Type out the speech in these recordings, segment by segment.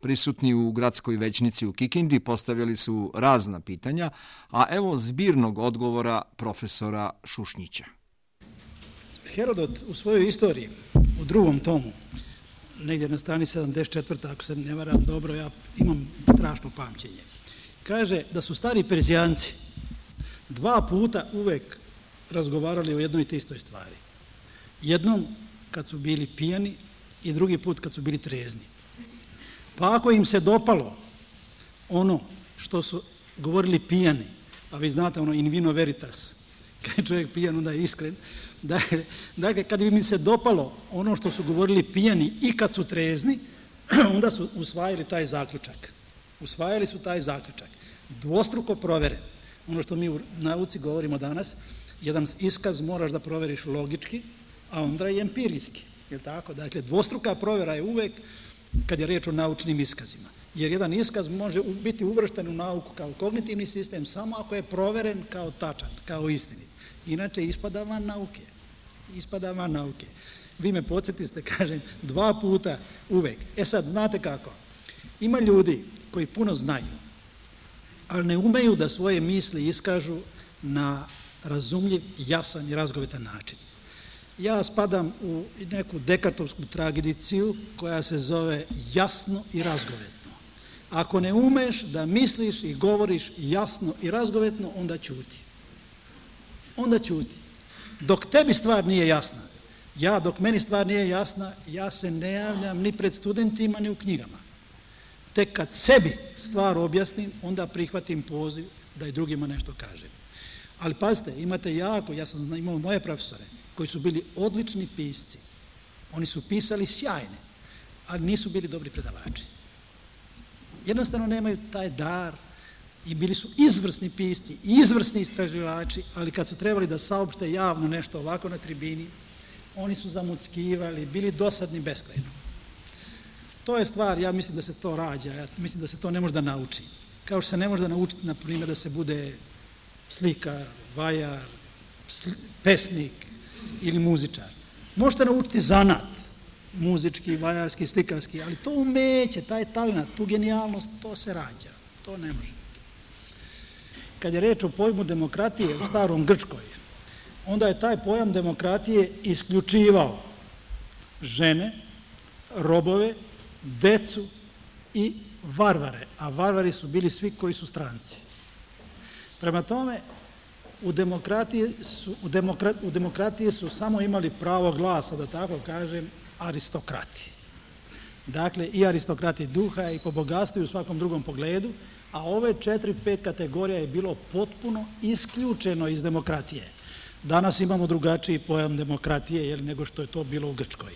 Prisutni u gradskoj većnici u Kikindi postavili su razna pitanja, a evo zbirnog odgovora profesora Šušnjića. Herodot u svojoj istoriji, u drugom tomu, negdje na strani 74. ako se ne varam dobro, ja imam strašno pamćenje, kaže da su stari Perzijanci 2 puta uvek razgovarali o jednoj te istoj stvari. Jednom kad su bili pijani i drugi put kad su bili trezni. Pa ako im se dopalo ono što su govorili pijani, a vi znate ono in vino veritas, kad je čovjek pijan onda je iskren, dakle kad bi mi se dopalo ono što su govorili pijani i kad su trezni, onda su usvajali taj zaključak. Usvajali su taj zaključak. Dvostruko proveren. Ono što mi u nauci govorimo danas, jedan iskaz moraš da proveriš logički, a onda i empirijski. Je tako? Dakle, dvostruka provjera je uvek kad je riječ o naučnim iskazima. Jer jedan iskaz može biti uvršten u nauku kao kognitivni sistem samo ako je proveren kao tačan, kao istinit. Inače, ispada van nauke. Ispada van nauke. Vi me podsjetiste, kažem, 2 puta uvek. E sad, znate kako? Ima ljudi koji puno znaju, ali ne umeju da svoje misli iskažu na razumljiv, jasan i razgovetan način. Ja spadam u neku dekartovsku tradiciju koja se zove jasno i razgovetno. Ako ne umeš da misliš i govoriš jasno i razgovetno, onda ćuti. Onda ćuti. Dok tebi stvar nije jasna, dok meni stvar nije jasna, ja se ne javljam ni pred studentima, ni u knjigama. Tek kad sebi stvar objasnim, onda prihvatim poziv da i drugima nešto kažem. Ali pazite, imate ja sam imao moje profesore, koji su bili odlični pisci. Oni su pisali sjajne, ali nisu bili dobri predavači. Jednostavno nemaju taj dar i bili su izvrsni pisci i izvrsni istraživači, ali kad su trebali da saopšte javno nešto ovako na tribini, oni su zamuckivali, bili dosadni beskrajno. To je stvar, ja mislim da se to rađa, ja mislim da se to ne može da nauči. Kao što se ne može da naučiti, na primjer, da se bude slikar, vajar, pesnik ili muzičar. Možete naučiti zanat, muzički, vajarski, slikarski, ali to umeće, taj talent, tu genijalnost, to se rađa, to ne može. Kad je reč o pojmu demokratije u starom Grčkoj, onda je taj pojam demokratije isključivao žene, robove, decu i varvare, a varvari su bili svi koji su stranci. Prema tome, u demokratiji su samo imali pravo glasa, da tako kažem, aristokrati. Dakle, i aristokrati duha i po bogatstvu i u svakom drugom pogledu, a ove 4-5 kategorija je bilo potpuno isključeno iz demokratije. Danas imamo drugačiji pojam demokratije nego što je to bilo u Grčkoj.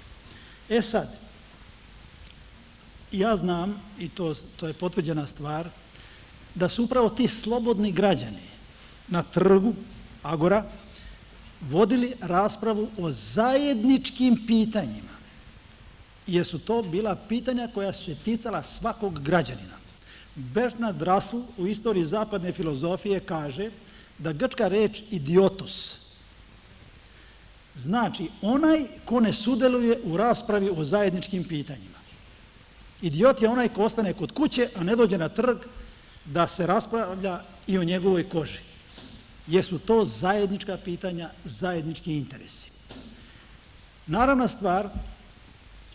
E sad, ja znam, i to je potvrđena stvar, da su upravo ti slobodni građani na trgu Agora vodili raspravu o zajedničkim pitanjima, jer su to bila pitanja koja su se ticala svakog građanina. Bernard Russell u istoriji zapadne filozofije kaže da grčka reč idiotos znači onaj ko ne sudjeluje u raspravi o zajedničkim pitanjima. Idiot je onaj ko ostane kod kuće, a ne dođe na trg da se raspravlja i o njegovoj koži. Jesu to zajednička pitanja, zajednički interesi. Naravna stvar,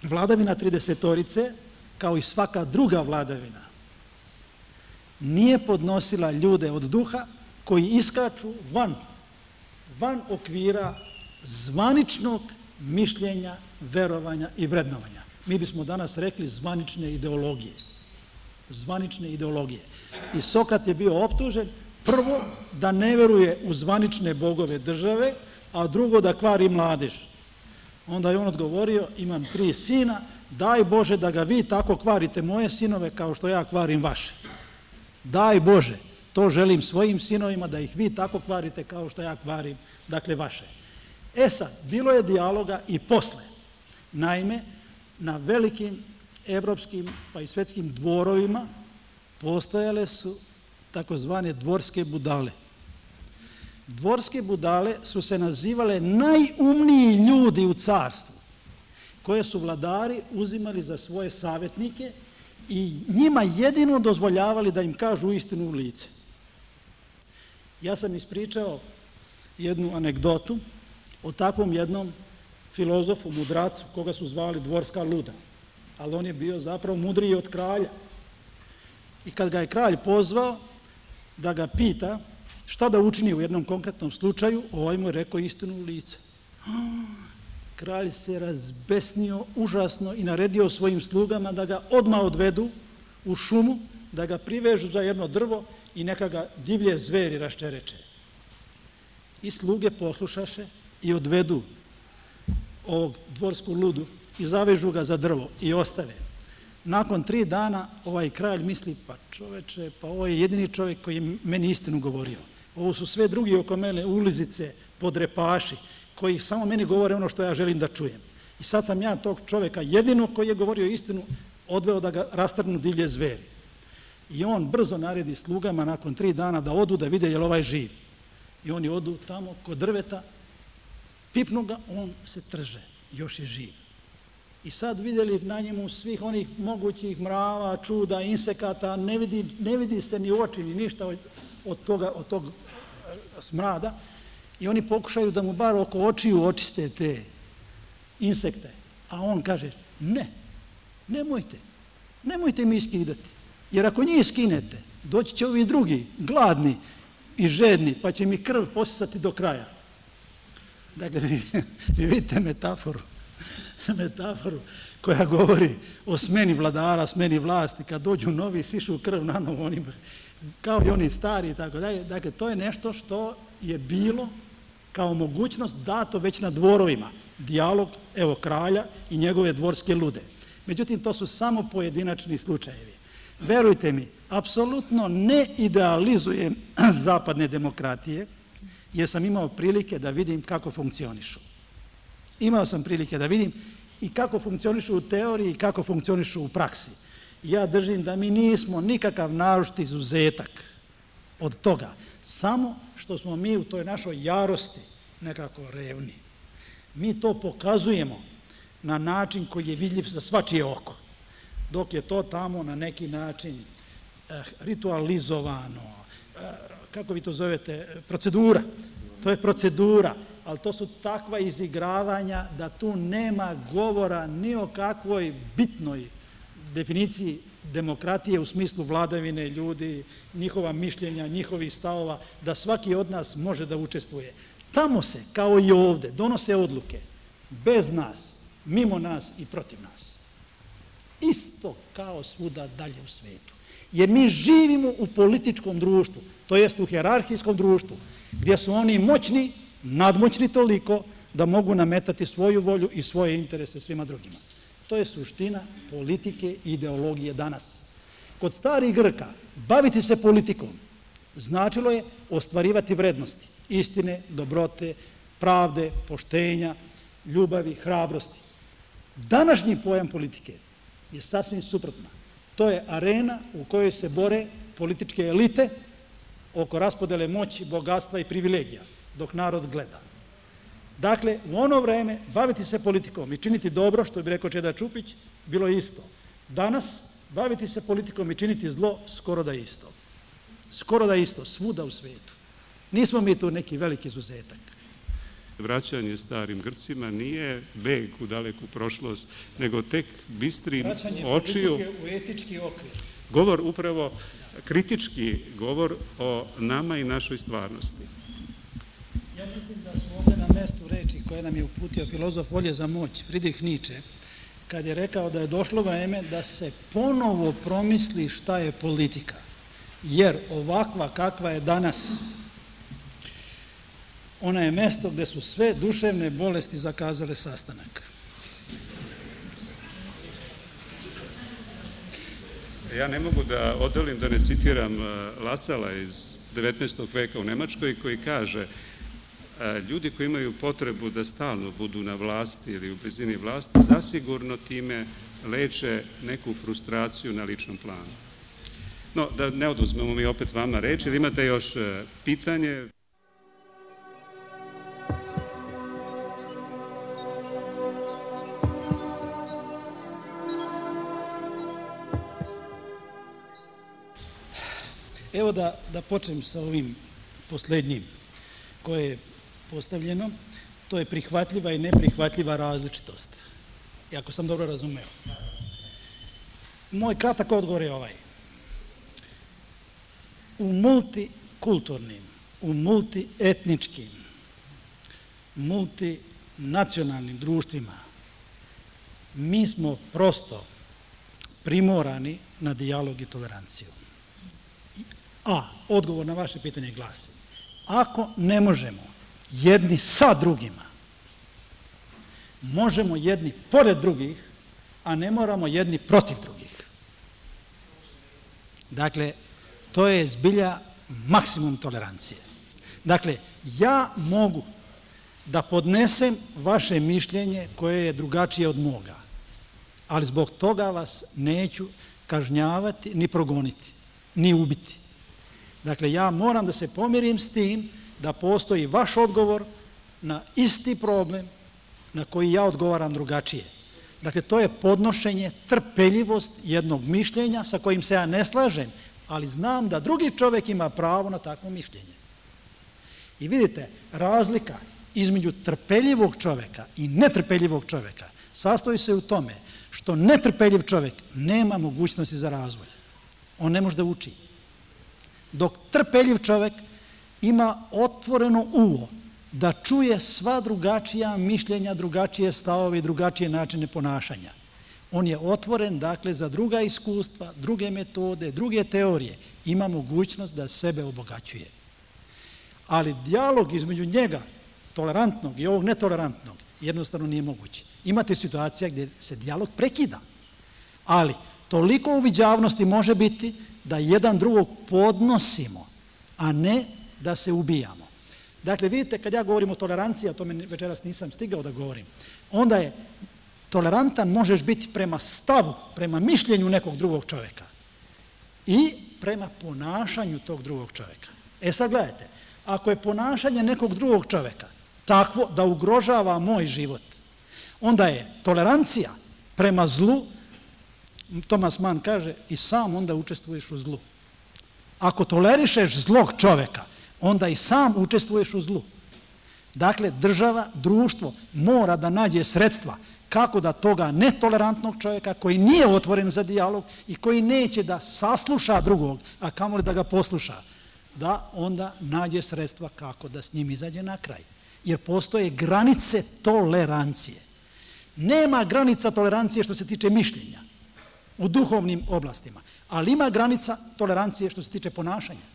vladavina 30-torice, kao i svaka druga vladavina, nije podnosila ljude od duha koji iskaču van okvira zvaničnog mišljenja, verovanja i vrednovanja. Mi bismo danas rekli zvanične ideologije. Zvanične ideologije. I Sokrat je bio optužen prvo da ne veruje u zvanične bogove države, a drugo da kvari mladež. Onda je on odgovorio, imam 3 sina, daj Bože da ga vi tako kvarite moje sinove kao što ja kvarim vaše. Daj Bože, to želim svojim sinovima, da ih vi tako kvarite kao što ja kvarim, dakle vaše. E sad, bilo je dijaloga i posle. Naime, na velikim evropskim pa i svetskim dvorovima postojale su takozvane dvorske budale. Dvorske budale su se nazivale najumniji ljudi u carstvu, koje su vladari uzimali za svoje savjetnike i njima jedino dozvoljavali da im kažu istinu u lice. Ja sam ispričao jednu anegdotu o takvom jednom filozofu, mudracu, koga su zvali dvorska luda, ali on je bio zapravo mudriji od kralja. I kad ga je kralj pozvao da ga pita šta da učini u jednom konkretnom slučaju, ovaj mu je rekao istinu u lice. Kralj se razbesnio užasno i naredio svojim slugama da ga odmah odvedu u šumu, da ga privežu za jedno drvo i neka ga divlje zveri raščereče. I sluge poslušaše i odvedu ovog dvorsku ludu i zavežu ga za drvo i ostave. Nakon 3 dana ovaj kralj misli, pa čoveče, pa ovo je jedini čovjek koji je meni istinu govorio. Ovo su sve drugi oko mene ulizice, podrepaši, koji samo meni govore ono što ja želim da čujem. I sad sam ja tog čovjeka jedino koji je govorio istinu odveo da ga rastrgnu divlje zveri. I on brzo naredi slugama nakon 3 dana da odu da vide je li ovaj živ. I oni odu tamo kod drveta, pipnu ga, on se trže, još je živ. I sad vidjeli na njemu svih onih mogućih mrava, čuda, insekata, ne vidi se ni u oči, ni ništa od tog smrada. I oni pokušaju da mu bar oko očiju očiste te insekte. A on kaže, nemojte mi skidati. Jer ako njih skinete, doći će ovi drugi, gladni i žedni, pa će mi krv posisati do kraja. Dakle, vi vidite metaforu koja govori o smeni vladara, smeni vlasti, kad dođu novi, sišu krv na novo, kao i oni stari i tako dalje. Dakle, to je nešto što je bilo kao mogućnost dato već na dvorovima. Dijalog, evo, kralja i njegove dvorske lude. Međutim, to su samo pojedinačni slučajevi. Verujte mi, apsolutno ne idealizujem zapadne demokratije, jer sam imao prilike da vidim kako funkcionišu. Imao sam prilike da vidim i kako funkcionišu u teoriji i kako funkcionišu u praksi. Ja držim da mi nismo nikakav naročit izuzetak od toga, samo što smo mi u toj našoj jarosti nekako revni. Mi to pokazujemo na način koji je vidljiv za svačije oko, dok je to tamo na neki način ritualizovano, kako vi to zovete, procedura. To je procedura, ali to su takva izigravanja da tu nema govora ni o kakvoj bitnoj definiciji demokratije u smislu vladavine ljudi, njihova mišljenja, njihovih stavova, da svaki od nas može da učestvuje. Tamo se, kao i ovde, donose odluke bez nas, mimo nas i protiv nas. Isto kao svuda dalje u svetu. Jer mi živimo u političkom društvu, to jest u hijerarhijskom društvu, gdje su oni moćni, nadmoćni toliko da mogu nametati svoju volju i svoje interese svima drugima. To je suština politike i ideologije danas. Kod starih Grka baviti se politikom značilo je ostvarivati vrednosti, istine, dobrote, pravde, poštenja, ljubavi, hrabrosti. Današnji pojam politike je sasvim suprotna. To je arena u kojoj se bore političke elite oko raspodele moći, bogatstva i privilegija, dok narod gleda. Dakle, u ono vreme baviti se politikom i činiti dobro, što bi rekao Čeda Čupić, bilo je isto. Danas baviti se politikom i činiti zlo skoro da je isto. Skoro da je isto, svuda u svetu. Nismo mi tu neki veliki izuzetak. Vraćanje starim Grcima nije beg u daleku prošlost, nego tek bistrim očiju. Vraćanje politike u etički okvir. Govor upravo, kritički govor o nama i našoj stvarnosti. Ja mislim da su ovdje na mestu reči koje nam je uputio filozof volje za moć, Friedrich Nietzsche, kad je rekao da je došlo vreme da se ponovo promisli šta je politika. Jer ovakva kakva je danas, ona je mesto gde su sve duševne bolesti zakazale sastanak. Ja ne mogu da odolim da ne citiram Lasala iz 19. veka u Nemačkoj koji kaže ljudi koji imaju potrebu da stalno budu na vlasti ili u blizini vlasti, zasigurno time leče neku frustraciju na ličnom planu. No, da ne oduzmemo mi opet vama reč, ili imate još pitanje? Evo da počnem sa ovim posljednjim koje je postavljeno. To je prihvatljiva i neprihvatljiva različitost. I ako sam dobro razumeo. Moj kratak odgovor je ovaj. U multikulturnim, u multietničkim, multinacionalnim društvima mi smo prosto primorani na dijalog i toleranciju. A odgovor na vaše pitanje glasi: ako ne možemo jedni sa drugima, možemo jedni pored drugih, a ne moramo jedni protiv drugih. Dakle, to je zbilja maksimum tolerancije. Dakle, ja mogu da podnesem vaše mišljenje koje je drugačije od moga, ali zbog toga vas neću kažnjavati, ni progoniti, ni ubiti. Dakle, ja moram da se pomirim s tim da postoji vaš odgovor na isti problem na koji ja odgovaram drugačije. Dakle, to je podnošenje, trpeljivost jednog mišljenja sa kojim se ja ne slažem, ali znam da drugi čovjek ima pravo na takvo mišljenje. I vidite, razlika između trpeljivog čovjeka i netrpeljivog čovjeka sastoji se u tome što netrpeljiv čovjek nema mogućnosti za razvoj. On ne može da uči. Dok trpeljiv čovjek ima otvoreno uvo da čuje sva drugačija mišljenja, drugačije stavove i drugačije načine ponašanja. On je otvoren, dakle, za druga iskustva, druge metode, druge teorije. Ima mogućnost da sebe obogaćuje. Ali dijalog između njega, tolerantnog i ovog netolerantnog, jednostavno nije moguće. Imate situacija gdje se dijalog prekida. Ali toliko uviđavnosti može biti da jedan drugog podnosimo, a ne da se ubijamo. Dakle, vidite, kad ja govorim o toleranciji, a to večeras nisam stigao da govorim, onda je tolerantan možeš biti prema stavu, prema mišljenju nekog drugog čovjeka i prema ponašanju tog drugog čovjeka. E sad gledajte, ako je ponašanje nekog drugog čovjeka takvo da ugrožava moj život, onda je tolerancija prema zlu, Thomas Mann kaže, i sam onda učestvuješ u zlu. Ako tolerišeš zlog čovjeka, onda i sam učestvuješ u zlu. Dakle, država, društvo mora da nađe sredstva kako da toga netolerantnog čovjeka koji nije otvoren za dijalog i koji neće da sasluša drugog, a kamoli da ga posluša, da onda nađe sredstva kako da s njim izađe na kraj. Jer postoje granice tolerancije. Nema granica tolerancije što se tiče mišljenja u duhovnim oblastima, ali ima granica tolerancije što se tiče ponašanja.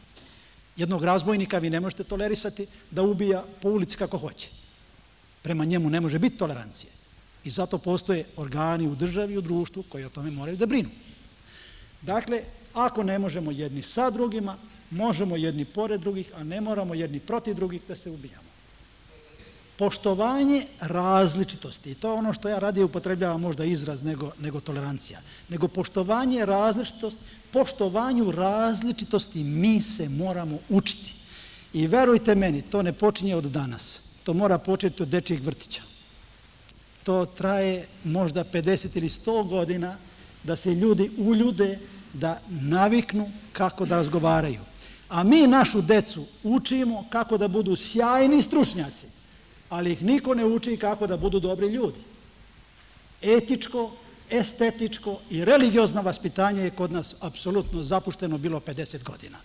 Jednog razbojnika vi ne možete tolerisati da ubija po ulici kako hoće. Prema njemu ne može biti tolerancije. I zato postoje organi u državi i u društvu koji o tome moraju da brinu. Dakle, ako ne možemo jedni sa drugima, možemo jedni pored drugih, a ne moramo jedni protiv drugih da se ubijamo. Poštovanje različitosti, i to je ono što ja radije upotrebljavam možda izraz nego tolerancija, nego poštovanje različitosti, poštovanju različitosti mi se moramo učiti. I verujte meni, to ne počinje od danas, to mora početi od dečjeg vrtića. To traje možda 50 ili 100 godina da se ljudi uljude, da naviknu kako da razgovaraju. A mi našu decu učimo kako da budu sjajni stručnjaci, ali ih niko ne uči kako da budu dobri ljudi. Etičko, estetičko i religiozno vaspitanje je kod nas apsolutno zapušteno bilo 50 godina.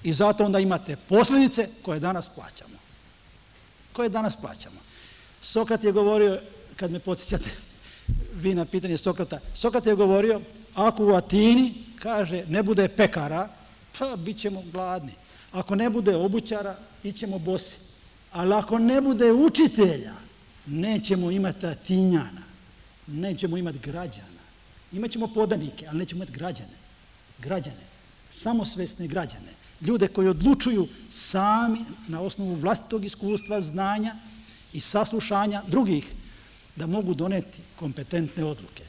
I zato onda imate posljedice koje danas plaćamo. Sokrat je govorio, kad me podsjećate vi na pitanje Sokrata, Sokrat je govorio, ako u Atini, kaže, ne bude pekara, pa bit ćemo gladni. Ako ne bude obućara, ićemo bosi. Ali ako ne bude učitelja, nećemo imati Atinjana, nećemo imati građana. Imaćemo podanike, ali nećemo imati građane, samosvesne građane, ljude koji odlučuju sami na osnovu vlastitog iskustva, znanja i saslušanja drugih da mogu doneti kompetentne odluke.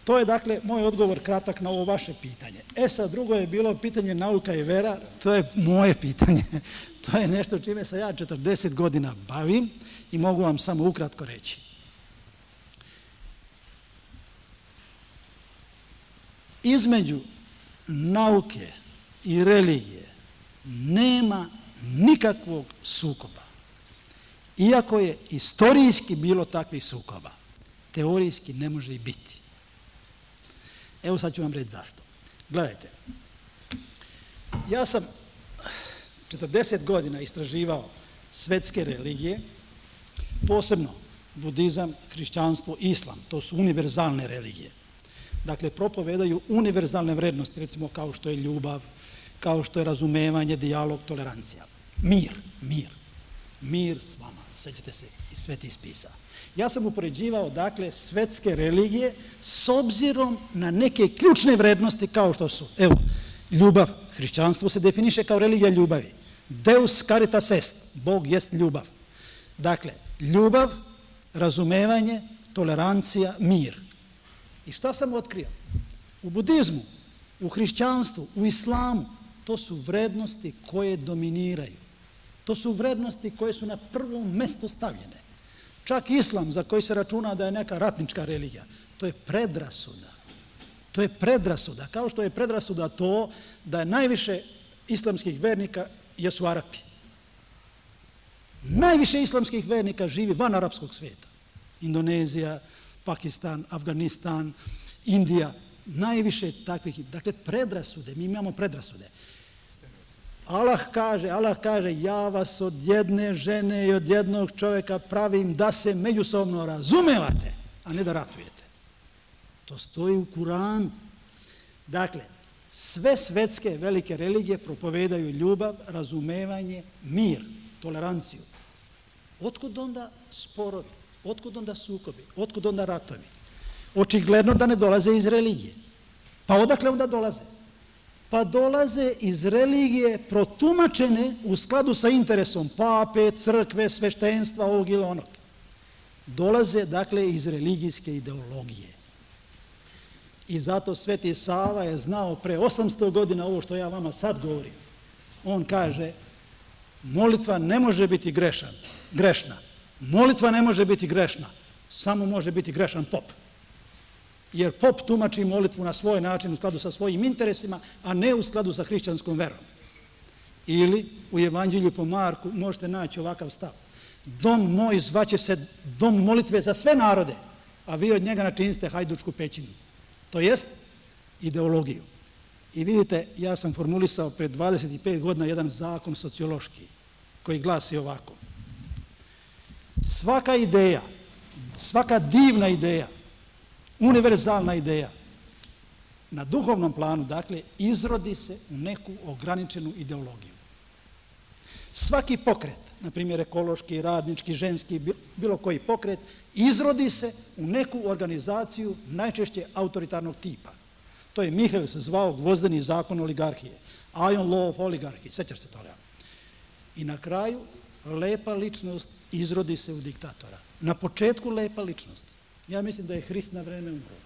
To je, dakle, moj odgovor kratak na ovo vaše pitanje. Sad, drugo je bilo pitanje nauka i vera, to je moje pitanje. To je nešto čime se ja 40 godina bavim i mogu vam samo ukratko reći. Između nauke i religije nema nikakvog sukoba. Iako je istorijski bilo takvih sukoba, teorijski ne može i biti. Evo sad ću vam reći zašto. Gledajte, ja sam 40 godina istraživao svetske religije, posebno budizam, hrišćanstvo, islam. To su univerzalne religije. Dakle, propovedaju univerzalne vrednosti, recimo kao što je ljubav, kao što je razumevanje, dijalog, tolerancija. Mir s vama, sećate se iz svetih spisa. Ja sam upoređivao, dakle, svetske religije s obzirom na neke ključne vrednosti kao što su, evo, ljubav, hrišćanstvo se definiše kao religija ljubavi. Deus caritas est, Bog jest ljubav. Dakle, ljubav, razumevanje, tolerancija, mir. I šta sam otkrio? U budizmu, u hrišćanstvu, u islamu, to su vrednosti koje dominiraju. To su vrednosti koje su na prvo mesto stavljene. Čak islam, za koji se računa da je neka ratnička religija, to je predrasuda. To je predrasuda, kao što je predrasuda to da je najviše islamskih vernika jesu Arapi. Najviše islamskih vernika živi van arapskog svijeta. Indonezija, Pakistan, Afganistan, Indija, najviše takvih. Dakle, predrasude, mi imamo predrasude. Allah kaže, ja vas od jedne žene i od jednog čovjeka pravim da se međusobno razumevate, a ne da ratujete. To stoji u Kuranu. Dakle, sve svetske velike religije propovedaju ljubav, razumevanje, mir, toleranciju. Otkud onda sporovi? Otkud onda sukobi? Otkud onda ratovi? Očigledno da ne dolaze iz religije. Pa odakle onda dolaze? Pa dolaze iz religije protumačene u skladu sa interesom pape, crkve, sveštenstva, ovog ili onog. Dolaze, dakle, iz religijske ideologije. I zato Sveti Sava je znao pre 800 godina ovo što ja vama sad govorim. On kaže, molitva ne može biti grešna. Molitva ne može biti grešna, samo može biti grešan pop. Jer pop tumači molitvu na svoj način u skladu sa svojim interesima, a ne u skladu sa hrišćanskom verom. Ili u Evanđelju po Marku možete naći ovakav stav. Dom moj zvaće se dom molitve za sve narode, a vi od njega načiniste hajdučku pećinu. To jest ideologiju. I vidite, ja sam formulisao pred 25 godina jedan zakon sociološki koji glasi ovako. Svaka ideja, svaka divna ideja, univerzalna ideja, na duhovnom planu, dakle, izrodi se u neku ograničenu ideologiju. Svaki pokret, na primjer ekološki, radnički, ženski, bilo koji pokret, izrodi se u neku organizaciju najčešće autoritarnog tipa. To je Mihael se zvao gvozdeni zakon oligarhije. Iron law of oligarchy, sećaš se toga. I na kraju, lepa ličnost izrodi se u diktatora. Na početku lepa ličnost. Ja mislim da je Hrist na vreme umro.